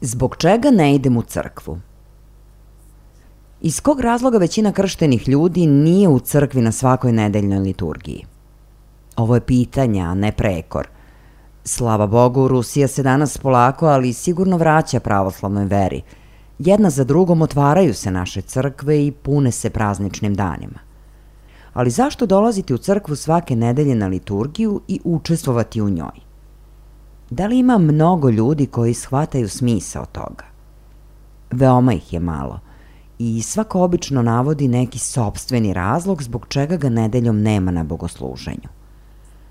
Zbog čega ne idem u crkvu? Iz kog razloga većina krštenih ljudi nije u crkvi na svakoj nedeljnoj liturgiji? Ovo je pitanje, a ne prekor. Slava Bogu, Rusija se danas polako, ali sigurno vraća pravoslavnoj veri. Jedna za drugom otvaraju se naše crkve i pune se prazničnim danima. Ali zašto dolaziti u crkvu svake nedelje na liturgiju i učestvovati u njoj? Da li ima mnogo ljudi koji shvataju smisao toga? Veoma ih je malo i svako obično navodi neki sopstveni razlog zbog čega ga nedeljom nema na bogosluženju.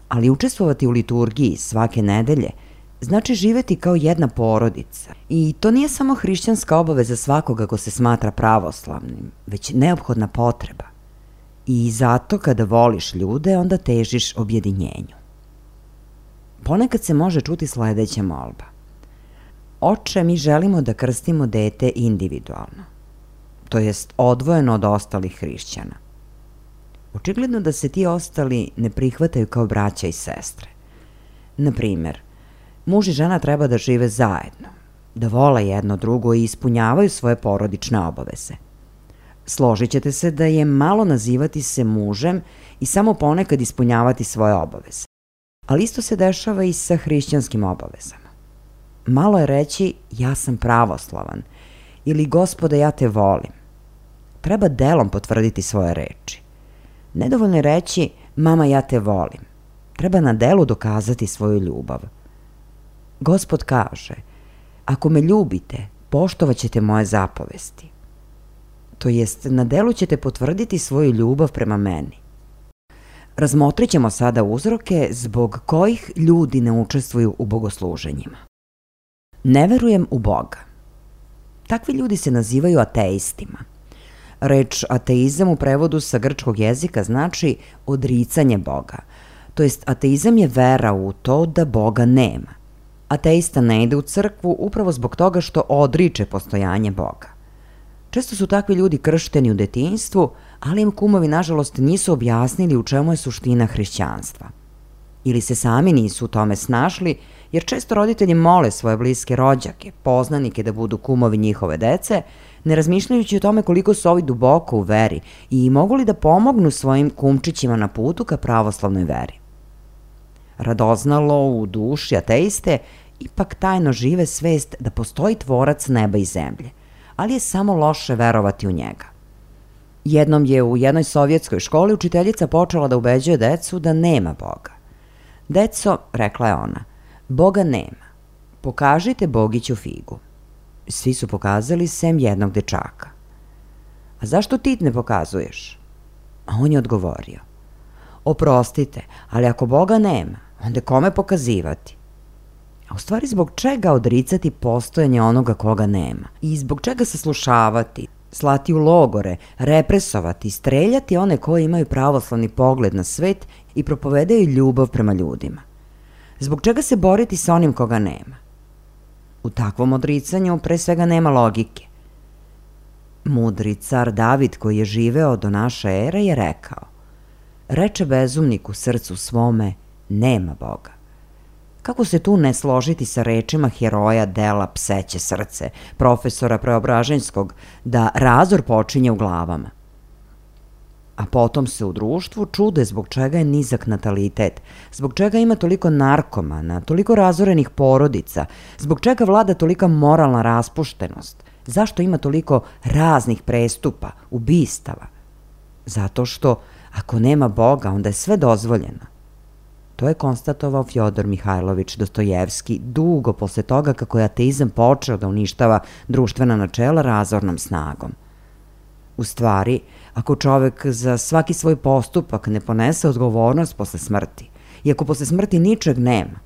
Ali učestvovati u liturgiji svake nedelje znači živeti kao jedna porodica. I to nije samo hrišćanska obaveza svakoga ko se smatra pravoslavnim, već neophodna potreba. I zato kada voliš ljude, onda težiš objedinjenju. Ponekad se može čuti sledeća molba. Oče, mi želimo da krstimo dete individualno, to jest odvojeno od ostalih hrišćana. Očigledno da se ti ostali ne prihvataju kao braća i sestre. Na primer, muž i žena treba da žive zajedno, da vole jedno drugo i ispunjavaju svoje porodične obaveze. Složit ćete se da je malo nazivati se mužem i samo ponekad ispunjavati svoje obaveze. Ali isto se dešava i sa hrišćanskim obavezama. Malo je reći ja sam pravoslavan ili Gospode ja te volim. Treba delom potvrditi svoje reči. Nedovoljno je reći mama ja te volim. Treba na delu dokazati svoju ljubav. Gospod kaže, ako me ljubite, poštovat ćete moje zapovesti. To jest, na delu ćete potvrditi svoju ljubav prema meni. Razmotrit ćemo sada uzroke zbog kojih ljudi ne učestvuju u bogosluženjima. Ne verujem u Boga. Takvi ljudi se nazivaju ateistima. Reč ateizam u prevodu sa grčkog jezika znači odricanje Boga. To jest, ateizam je vera u to da Boga nema. Ateista ne ide u crkvu upravo zbog toga što odriče postojanje Boga. Često su takvi ljudi kršteni u detinjstvu, ali im kumovi nažalost nisu objasnili u čemu je suština hrišćanstva. Ili se sami nisu u tome snašli, jer često roditelji mole svoje bliske rođake, poznanike da budu kumovi njihove dece, ne razmišljajući o tome koliko su ovi duboko u veri i mogu li da pomognu svojim kumčićima na putu ka pravoslavnoj veri. Radoznalo u duši ateiste ipak tajno žive svest da postoji tvorac neba i zemlje, ali je samo loše verovati u njega. Jednom je u jednoj sovjetskoj školi učiteljica počela da ubeđuje decu da nema Boga. Deco, rekla je ona, Boga nema. Pokažite Bogiću figu. Svi su pokazali sem jednog dečaka. A zašto ti ne pokazuješ? A on je odgovorio. Oprostite, ali ako Boga nema, onda kome pokazivati? A u stvari zbog čega odricati postojanje onoga koga nema? I zbog čega saslušavati, slati u logore, represovati, streljati one koji imaju pravoslavni pogled na svet i propovedaju ljubav prema ljudima? Zbog čega se boriti sa onim koga nema? U takvom odricanju pre svega nema logike. Mudri car David, koji je živeo do naše ere, je rekao: reče bezumnik u srcu svome, nema Boga. Kako se tu ne složiti sa rečima heroja dela Pseće srce, profesora Preobraženjskog, da razor počinje u glavama? A potom se u društvu čude zbog čega je nizak natalitet, zbog čega ima toliko narkomana, toliko razorenih porodica, zbog čega vlada tolika moralna raspuštenost, zašto ima toliko raznih prestupa, ubistava. Zato što ako nema Boga, onda je sve dozvoljeno. To je konstatovao Fjodor Mihajlović Dostojevski dugo posle toga kako je ateizam počeo da uništava društvena načela razornom snagom. U stvari, ako čovek za svaki svoj postupak ne ponese odgovornost posle smrti, i ako posle smrti ničeg nema,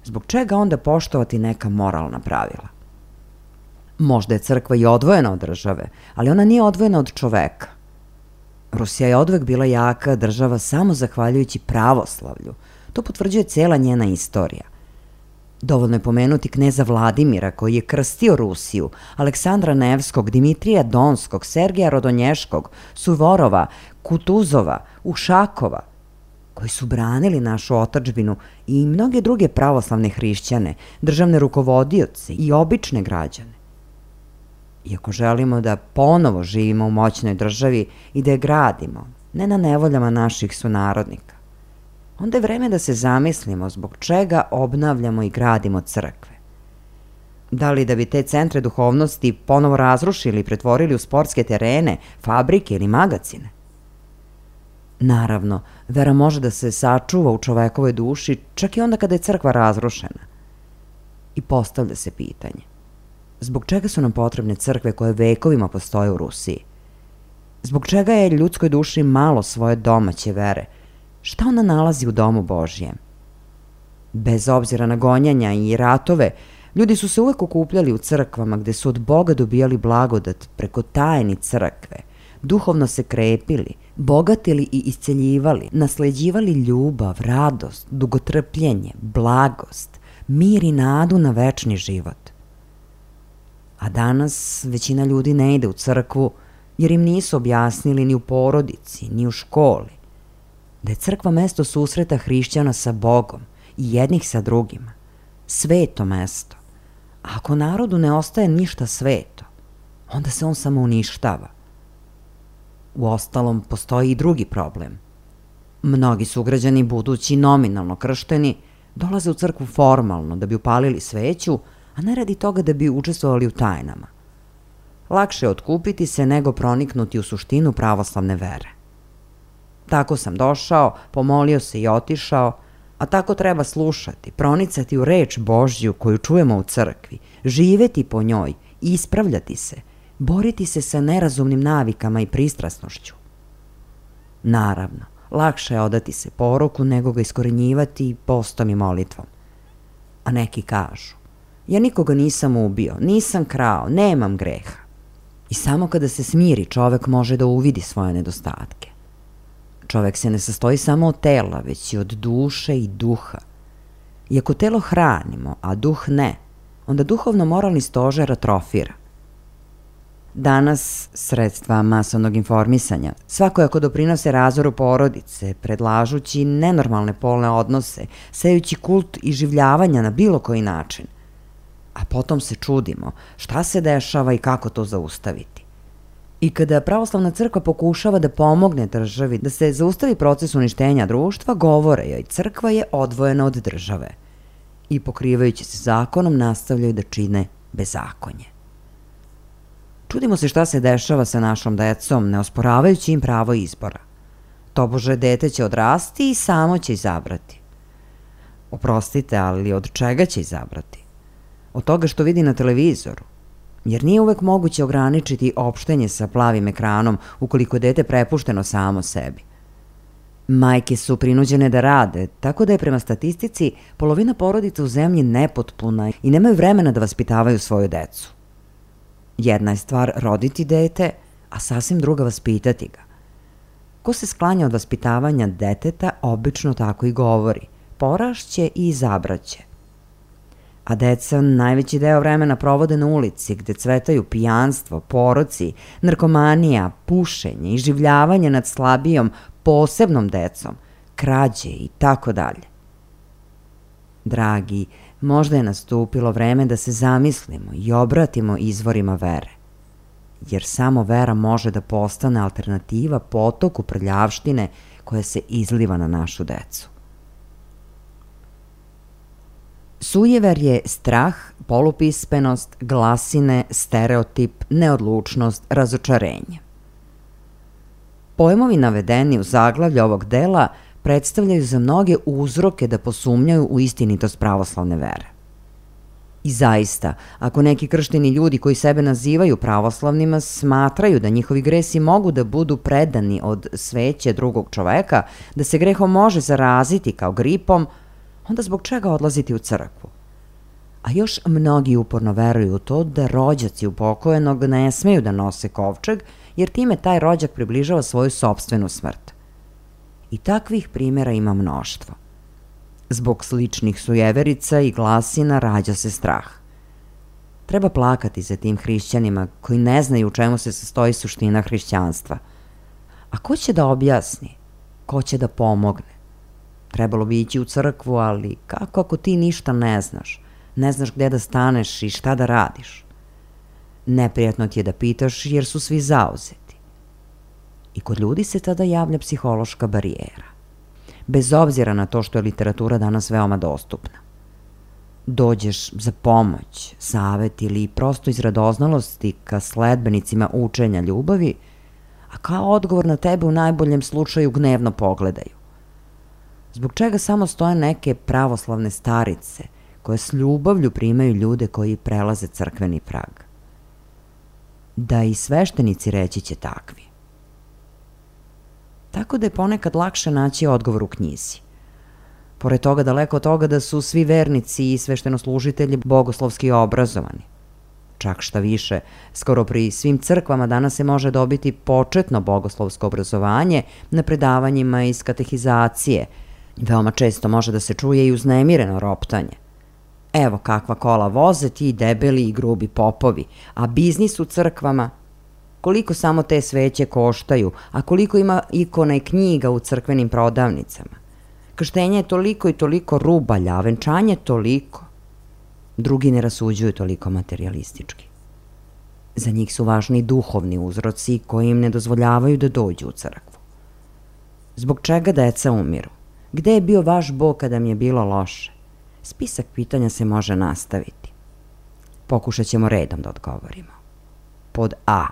zbog čega onda poštovati neka moralna pravila? Možda je crkva i odvojena od države, ali ona nije odvojena od čoveka. Rusija je odvek bila jaka država samo zahvaljujući pravoslavlju. To potvrđuje cela njena istorija. Dovoljno je pomenuti kneza Vladimira, koji je krstio Rusiju, Aleksandra Nevskog, Dimitrija Donskog, Sergeja Rodonješkog, Suvorova, Kutuzova, Ušakova, koji su branili našu otadžbinu, i mnoge druge pravoslavne hrišćane, državne rukovodioce i obične građane. Iako želimo da ponovo živimo u moćnoj državi i da je gradimo, ne na nevoljama naših sunarodnika, onda je vreme da se zamislimo zbog čega obnavljamo i gradimo crkve. Da li da bi te centre duhovnosti ponovo razrušili i pretvorili u sportske terene, fabrike ili magacine? Naravno, vera može da se sačuva u čovekovoj duši čak i onda kada je crkva razrušena. I postavlja se pitanje: zbog čega su nam potrebne crkve koje vekovima postoje u Rusiji? Zbog čega je ljudskoj duši malo svoje domaće vere? Šta ona nalazi u domu Božjem? Bez obzira na gonjanja i ratove, ljudi su se uvek okupljali u crkvama gde su od Boga dobijali blagodat preko tajni crkve, duhovno se krepili, bogatili i isceljivali, nasleđivali ljubav, radost, dugotrpljenje, blagost, mir i nadu na večni život. A danas većina ljudi ne ide u crkvu jer im nisu objasnili ni u porodici, ni u školi da je crkva mesto susreta hrišćana sa Bogom i jednih sa drugima, sveto mesto. A ako narodu ne ostaje ništa sveto, onda se on samo uništava. Uostalom, postoji i drugi problem. Mnogi sugrađani, budući nominalno kršteni, dolaze u crkvu formalno da bi upalili sveću, a ne radi toga da bi učestvovali u tajnama. Lakše je otkupiti se nego proniknuti u suštinu pravoslavne vere. Tako sam došao, pomolio se i otišao, a tako treba slušati, pronicati u reč Božju koju čujemo u crkvi, živeti po njoj, ispravljati se, boriti se sa nerazumnim navikama i pristrasnošću. Naravno, lakše je odati se poroku nego ga iskorenjivati postom i molitvom. A neki kažu: ja nikoga nisam ubio, nisam krao, nemam greha. I samo kada se smiri, čovek može da uvidi svoje nedostatke. Čovek se ne sastoji samo od tela, već i od duše i duha. I ako telo hranimo, a duh ne, onda duhovno-moralni stožer atrofira. Danas sredstva masovnog informisanja svakojako doprinose razoru porodice, predlažući nenormalne polne odnose, sejući kult iživljavanja na bilo koji način. A potom se čudimo šta se dešava i kako to zaustaviti. I kada pravoslavna crkva pokušava da pomogne državi da se zaustavi proces uništenja društva, govore joj crkva je odvojena od države i pokrivajući se zakonom nastavljaju da čine bezakonje. Čudimo se šta se dešava sa našom decom, ne osporavajući im pravo izbora. Tobože dete će odrasti i samo će izabrati. Oprostite, ali od čega će izabrati? Od toga što vidi na televizoru. Jer nije uvek moguće ograničiti opštenje sa plavim ekranom ukoliko je dete prepušteno samo sebi. Majke su prinuđene da rade, tako da je prema statistici polovina porodica u zemlji nepotpuna i nemaju vremena da vaspitavaju svoju decu. Jedna je stvar roditi dete, a sasvim druga vaspitati ga. Ko se sklanja od vaspitavanja deteta, obično tako i govori: porašće i izabraće. a deca najveći deo vremena provode na ulici gde cvetaju pijanstvo, poroci, narkomanija, pušenje, iživljavanje nad slabijom, posebnom decom, krađe i tako dalje. Dragi, možda je nastupilo vreme da se zamislimo i obratimo izvorima vere, jer samo vera može da postane alternativa potoku prljavštine koja se izliva na našu decu. Sujever je strah, polupismenost, glasine, stereotip, neodlučnost, razočarenje. Pojmovi navedeni u zaglavlju ovog dela predstavljaju za mnoge uzroke da posumnjaju u istinitost pravoslavne vere. I zaista, ako neki kršteni ljudi koji sebe nazivaju pravoslavnima smatraju da njihovi gresi mogu da budu predani od sveće drugog čoveka, da se grehom može zaraziti kao gripom, onda zbog čega odlaziti u crkvu? A još mnogi uporno veruju u to da rođaci upokojenog ne smeju da nose kovčeg, jer time taj rođak približava svoju sopstvenu smrt. I takvih primjera ima mnoštvo. Zbog sličnih sujeverica i glasina rađa se strah. Treba plakati za tim hrišćanima koji ne znaju u čemu se sastoji suština hrišćanstva. A ko će da objasni? Ko će da pomogne? Trebalo bi ići u crkvu, ali kako ako ti ništa ne znaš? Ne znaš gde da staneš i šta da radiš? Neprijatno ti je da pitaš jer su svi zauzeti. I kod ljudi se tada javlja psihološka barijera. Bez obzira na to što je literatura danas veoma dostupna. Dođeš za pomoć, savet ili prosto iz radoznalosti ka sledbenicima učenja ljubavi, a kao odgovor na tebe u najboljem slučaju gnevno pogledaju. Zbog čega samo stoje neke pravoslavne starice koje s ljubavlju primaju ljude koji prelaze crkveni prag? Da i sveštenici reći će takvi. Tako da je ponekad lakše naći odgovor u knjizi. Pored toga, daleko od toga da su svi vernici i sveštenoslužitelji bogoslovski obrazovani. Čak šta više, skoro pri svim crkvama danas se može dobiti početno bogoslovsko obrazovanje na predavanjima iz katehizacije. Veoma često može da se čuje i uznemireno roptanje. Evo kakva kola voze ti debeli i grubi popovi, a biznis u crkvama? Koliko samo te sveće koštaju, a koliko ima ikona i knjiga u crkvenim prodavnicama? Krštenje je toliko i toliko rubalja, a venčanje toliko. Drugi ne rasuđuju toliko materijalistički. Za njih su važni duhovni uzroci koji im ne dozvoljavaju da dođu u crkvu. Zbog čega deca umiru? Gde je bio vaš Bog kada mi je bilo loše? Spisak pitanja se može nastaviti. Pokušat ćemo redom da odgovorimo. Pod A.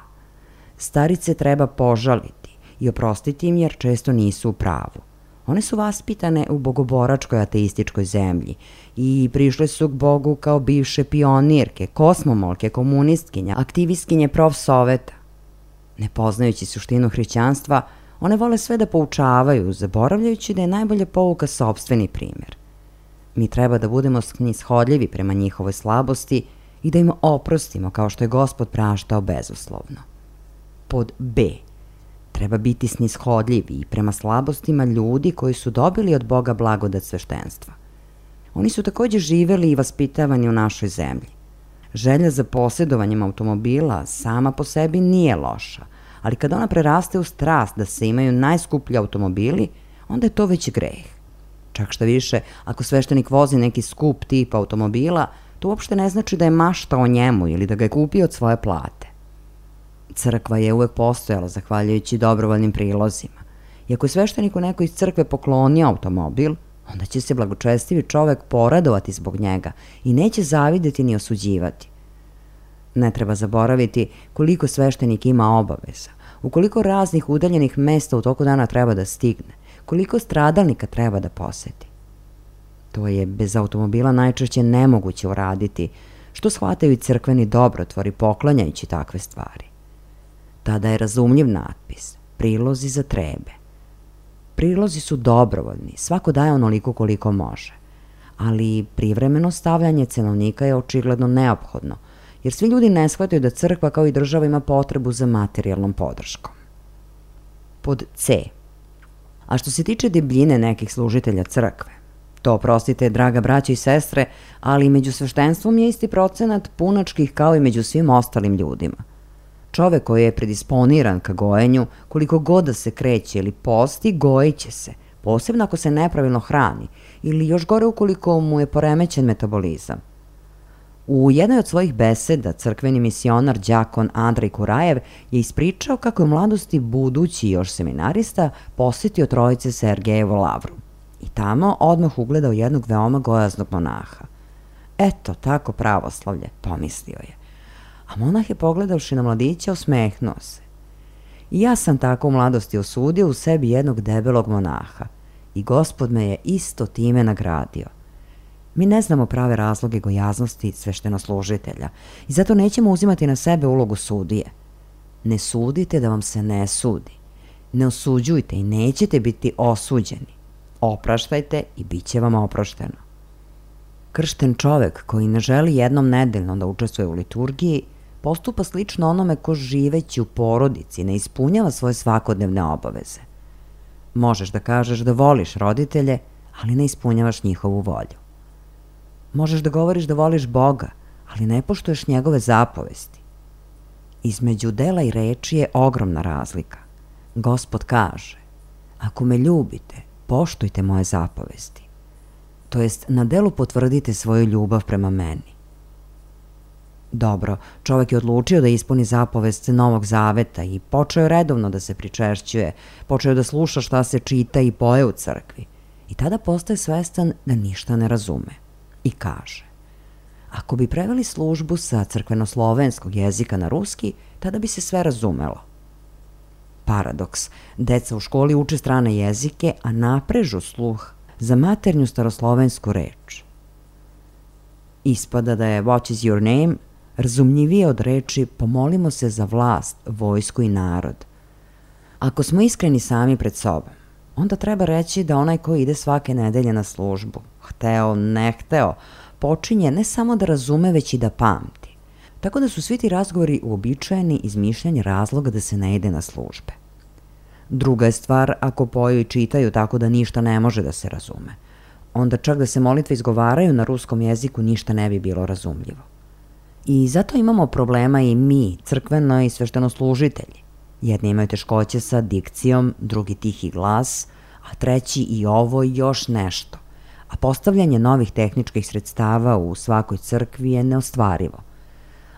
Starice treba požaliti i oprostiti im jer često nisu u pravu. One su vaspitane u bogoboračkoj ateističkoj zemlji i prišle su k Bogu kao bivše pionirke, kosmomolke, komunistkinja, aktivistkinje profsoveta. Ne poznajući suštinu hrišćanstva, one vole sve da poučavaju, zaboravljajući da je najbolja pouka sopstveni primjer. Mi treba da budemo snishodljivi prema njihovoj slabosti i da im oprostimo kao što je Gospod praštao bezuslovno. Pod B. Treba biti snishodljivi i prema slabostima ljudi koji su dobili od Boga blagodat sveštenstva. Oni su takođe živeli i vaspitavani u našoj zemlji. Želja za posjedovanjem automobila sama po sebi nije loša, ali kada ona preraste u strast da se imaju najskuplji automobili, onda je to već greh. Čak šta više, ako sveštenik vozi neki skup tip automobila, to uopšte ne znači da je maštao o njemu ili da ga je kupio od svoje plate. Crkva je uvek postojala zahvaljujući dobrovoljnim prilozima. I ako je svešteniku neko iz crkve poklonio automobil, onda će se blagočestivi čovek poradovati zbog njega i neće zavideti ni osuđivati. Ne treba zaboraviti koliko sveštenik ima obaveza, u koliko raznih udaljenih mesta u toku dana treba da stigne, koliko stradalnika treba da poseti. To je bez automobila najčešće nemoguće uraditi, što shvataju i crkveni dobrotvori poklanjajući takve stvari. Tada je razumljiv natpis, prilozi za trebe. Prilozi su dobrovoljni, svako daje onoliko koliko može, ali privremeno stavljanje cenovnika je očigledno neophodno, jer svi ljudi ne shvataju da crkva kao i država ima potrebu za materijalnom podrškom. Pod C. A što se tiče debljine nekih služitelja crkve, To, prostite, draga braća i sestre, ali među sveštenstvom je isti procenat punačkih kao i među svim ostalim ljudima. Čovek koji je predisponiran ka gojenju, koliko god da se kreće ili posti, gojit će se, posebno ako se nepravilno hrani ili još gore ukoliko mu je poremećen metabolizam. U jednoj od svojih beseda crkveni misionar đakon Andrej Kurajev je ispričao kako je u mladosti budući još seminarista posjetio Trojice Sergejevu lavru i tamo odmah ugledao jednog veoma gojaznog monaha. Eto, tako pravoslavlje, pomislio je. A monah je pogledavši na mladića osmehnuo se. I ja sam tako u mladosti osudio u sebi jednog debelog monaha i Gospod me je isto time nagradio. Mi ne znamo prave razloge gojaznosti sveštenoslužitelja i zato nećemo uzimati na sebe ulogu sudije. Ne sudite da vam se ne sudi. Ne osuđujte i nećete biti osuđeni. Opraštajte i bit će vam oprošteno. Kršten čovek koji ne želi jednom nedeljno da učestvuje u liturgiji postupa slično onome ko živeći u porodici ne ispunjava svoje svakodnevne obaveze. Možeš da kažeš da voliš roditelje, ali ne ispunjavaš njihovu volju. Možeš da govoriš da voliš Boga, ali ne poštuješ njegove zapovesti. Između dela i reči je ogromna razlika. Gospod kaže, ako me ljubite, poštujte moje zapovesti. To jest, na delu potvrdite svoju ljubav prema meni. Dobro, čovek je odlučio da ispuni zapovest Novog Zaveta i počeo je redovno da se pričešćuje, počeo da sluša šta se čita i poje u crkvi. I tada postaje svestan da ništa ne razume. I kaže, ako bi preveli službu sa crkvenoslovenskog jezika na ruski, tada bi se sve razumelo. Paradoks, deca u školi uče strane jezike, a naprežu sluh za maternju staroslovensku reč. Ispada da je What is your name razumljivije od reči pomolimo se za vlast, vojsku i narod. Ako smo iskreni sami pred sobom, onda treba reći da onaj ko ide svake nedelje na službu, hteo, ne hteo, počinje ne samo da razume, već i da pamti. Tako da su svi ti razgovori uobičajeni izmišljanje razloga da se ne ide na službe. Druga je stvar ako poju i čitaju tako da ništa ne može da se razume. Onda čak da se molitve izgovaraju na ruskom jeziku ništa ne bi bilo razumljivo. I zato imamo problema i mi, crkveno i sveštenoslužitelji. Jedni imaju teškoće sa dikcijom, drugi tihi glas, a treći i ovo i još nešto. A postavljanje novih tehničkih sredstava u svakoj crkvi je neostvarivo.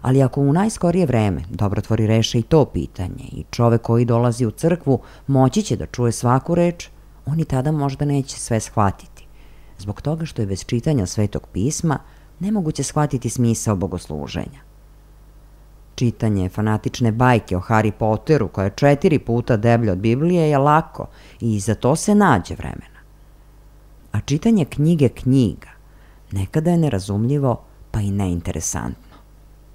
Ali ako u najskorije vreme dobrotvori reše i to pitanje i čovek koji dolazi u crkvu moći će da čuje svaku reč, on i tada možda neće sve shvatiti. Zbog toga što je bez čitanja Svetog pisma nemoguće shvatiti smisao bogosluženja. Čitanje fanatične bajke o Harry Potteru, koja je 4 puta deblja od Biblije, je lako i za to se nađe vremena. A čitanje knjige knjiga nekada je nerazumljivo pa i neinteresantno.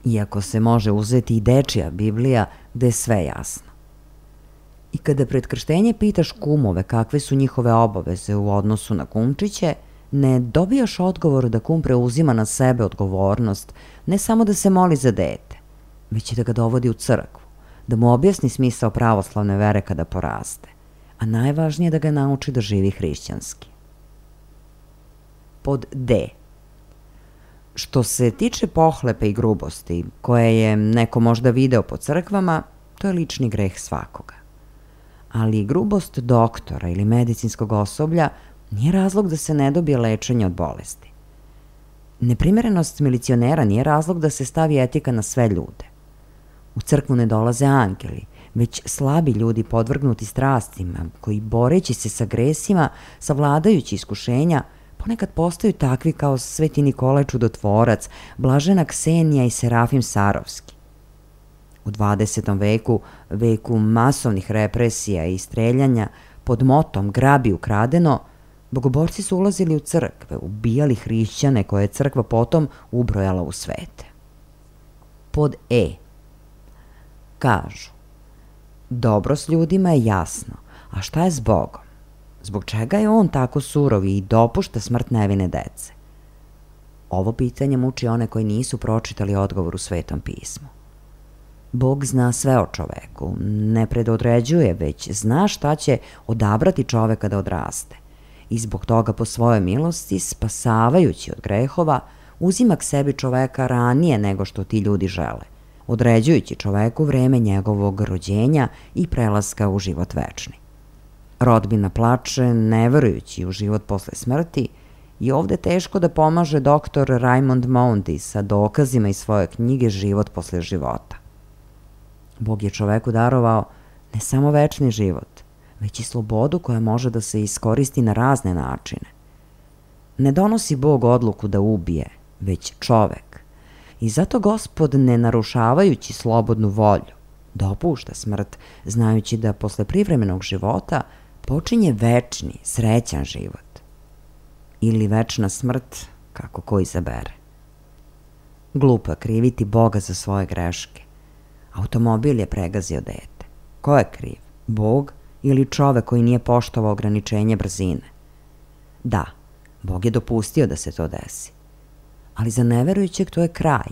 Iako se može uzeti i dečija Biblija gde je sve jasno. I kada pred krštenje pitaš kumove kakve su njihove obaveze u odnosu na kumčiće, ne dobijaš odgovor da kum preuzima na sebe odgovornost ne samo da se moli za dete, već i da ga dovodi u crkvu, da mu objasni smisao pravoslavne vere kada poraste, a najvažnije da ga nauči da živi hrišćanski. Pod D. Što se tiče pohlepe i grubosti, koje je neko možda video po crkvama, to je lični greh svakoga. Ali grubost doktora ili medicinskog osoblja nije razlog da se ne dobije lečenje od bolesti. Neprimerenost milicionera nije razlog da se stavi etika na sve ljude. U crkvu ne dolaze angeli, već slabi ljudi podvrgnuti strastima, koji boreći se sa gresima, savladajući iskušenja, ponekad postaju takvi kao Sveti Nikolaj Čudotvorac, Blažena Ksenija i Serafim Sarovski. U 20. veku, veku masovnih represija i streljanja, pod motom grabi ukradeno, bogoborci su ulazili u crkve, ubijali hrišćane koje je crkva potom ubrojala u svete. Pod E. Kažu, dobro s ljudima je jasno, a šta je s Bogom? Zbog čega je on tako surov i dopušta smrt nevine dece? Ovo pitanje muči one koji nisu pročitali odgovor u Svetom pismu. Bog zna sve o čoveku, ne predodređuje, već zna šta će odabrati čoveka da odraste. i zbog toga po svojoj milosti, spasavajući od grehova, uzima k sebi čoveka ranije nego što ti ljudi žele, određujući čoveku vreme njegovog rođenja i prelaska u život večni. Rodbina plače, ne verujući u život posle smrti, i ovde teško da pomaže doktor Raymond Mondi sa dokazima iz svoje knjige Život posle života. Bog je čoveku darovao ne samo večni život, već i slobodu koja može da se iskoristi na razne načine. Ne donosi Bog odluku da ubije, već čovek. I zato Gospod, ne narušavajući slobodnu volju, dopušta smrt, znajući da posle privremenog života počinje večni, srećan život. Ili večna smrt, kako ko izabere. Glupo je kriviti Boga za svoje greške. Automobil je pregazio dete. Ko je kriv? Bog ili čovek koji nije poštovao ograničenje brzine? Da, Bog je dopustio da se to desi. Ali za neverujućeg to je kraj,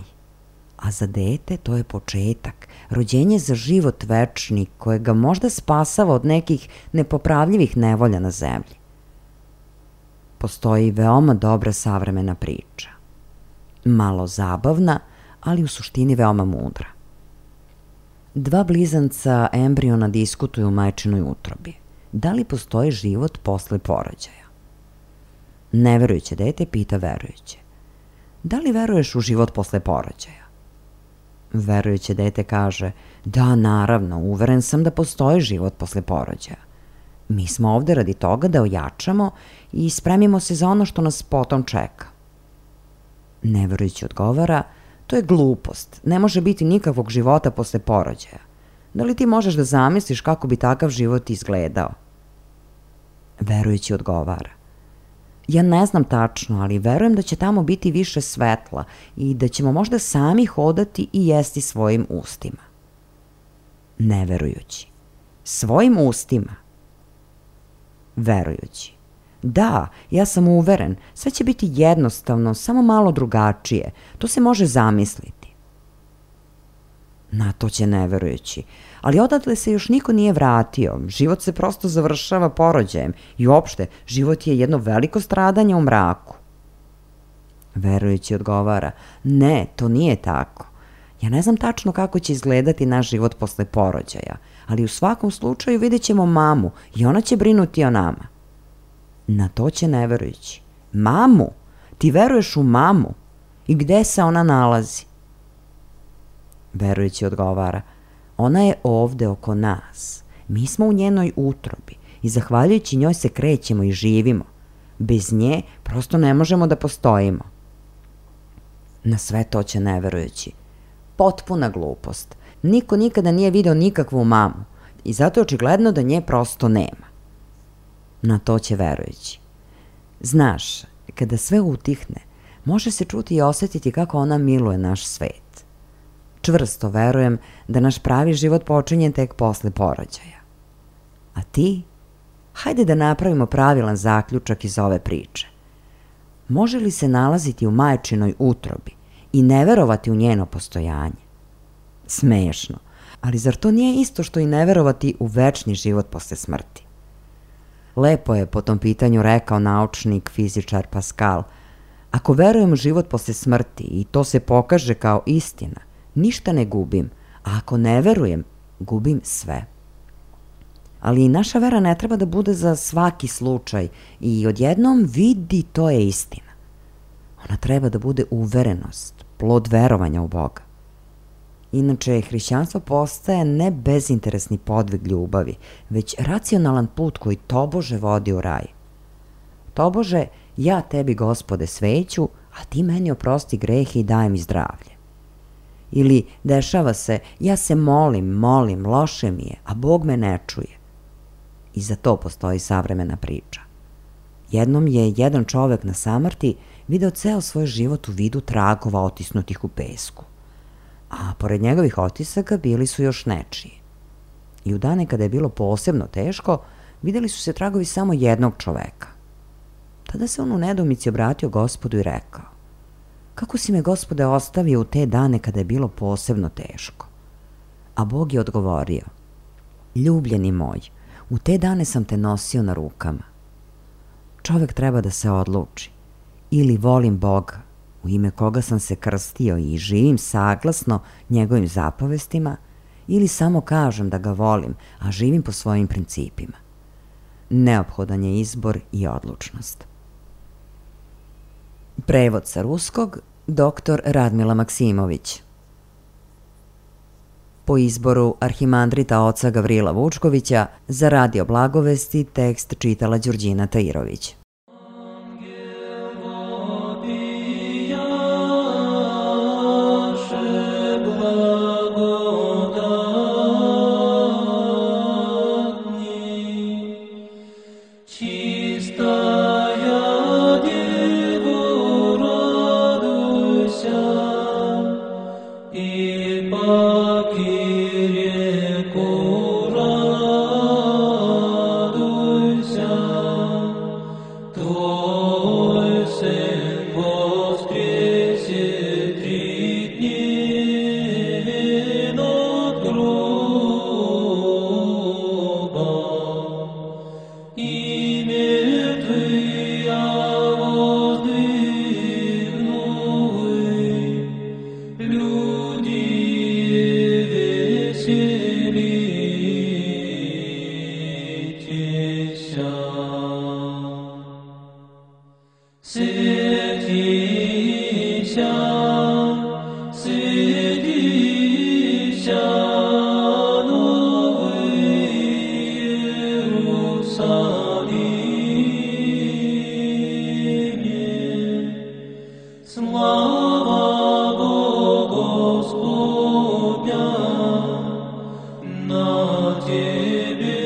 a za dete to je početak, rođenje za život večni koje ga možda spasava od nekih nepopravljivih nevolja na zemlji. Postoji veoma dobra savremena priča. Malo zabavna, ali u suštini veoma mudra. Dva blizanca embriona diskutuju u majčinoj utrobi. Da li postoji život posle porođaja? Neverujuće dete pita verujuće: da li veruješ u život posle porođaja? Verujuće dete kaže: da, naravno, uveren sam da postoji život posle porođaja. Mi smo ovde radi toga da ojačamo i spremimo se za ono što nas potom čeka. Neverujući odgovara: to je glupost, ne može biti nikakvog života posle porođaja. Da li ti možeš da zamisliš kako bi takav život izgledao? Verujući odgovara: ja ne znam tačno, ali verujem da će tamo biti više svetla i da ćemo možda sami hodati i jesti svojim ustima. Neverujući: svojim ustima? Verujući: da, ja sam uveren, sve će biti jednostavno, samo malo drugačije, to se može zamisliti. Na to će neverujući: ali odatle se još niko nije vratio, život se prosto završava porođajem i uopšte život je jedno veliko stradanje u mraku. Verujući odgovara: ne, to nije tako. Ja ne znam tačno kako će izgledati naš život posle porođaja, ali u svakom slučaju vidjet ćemo mamu i ona će brinuti o nama. Na to će neverujući: mamu? Ti veruješ u mamu? I gde se ona nalazi? Verujući odgovara: ona je ovde oko nas. Mi smo u njenoj utrobi i zahvaljujući njoj se krećemo i živimo. Bez nje prosto ne možemo da postojimo. Na sve to će neverujući: potpuna glupost. Niko nikada nije video nikakvu mamu i zato je očigledno da nje prosto nema. Na to će verujući: znaš, kada sve utihne, može se čuti i osetiti kako ona miluje naš svet. Čvrsto verujem da naš pravi život počinje tek posle porođaja. A ti? Hajde da napravimo pravilan zaključak iz ove priče. Može li se nalaziti u majčinoj utrobi i ne verovati u njeno postojanje? Smešno, ali zar to nije isto što i ne verovati u večni život posle smrti? Lepo je po tom pitanju rekao naučnik, fizičar Pascal: ako verujem u život posle smrti i to se pokaže kao istina, ništa ne gubim, a ako ne verujem, gubim sve. Ali naša vera ne treba da bude za svaki slučaj i odjednom vidi to je istina. Ona treba da bude uverenost, plod verovanja u Boga. Inače, hrišćanstvo postaje ne bezinteresni podvig ljubavi, već racionalan put koji tobože vodi u raj. Tobože, ja tebi, Gospode, sveću, a ti meni oprosti grehe i daj mi zdravlje. Ili dešava se, ja se molim, loše mi je, a Bog me ne čuje. I za to postoji savremena priča. Jednom je jedan čovek na samrti video ceo svoj život u vidu tragova otisnutih u pesku. A pored njegovih otisaka bili su još nečiji. I u dane kada je bilo posebno teško, videli su se tragovi samo jednog čoveka. Tada se on u nedoumici obratio Gospodu i rekao: kako si me, Gospode, ostavio u te dane kada je bilo posebno teško? A Bog je odgovorio: ljubljeni moj, u te dane sam te nosio na rukama. čovek treba da se odluči. Ili volim Boga, u ime koga sam se krstio i živim saglasno njegovim zapovestima, ili samo kažem da ga volim, a živim po svojim principima. Neophodan je izbor i odlučnost. Prevod sa ruskog, dr. Radmila Maksimović. Po izboru arhimandrita oca Gavrila Vučkovića za Radio Blagovesti tekst čitala Đurđina Tairović. На тебе,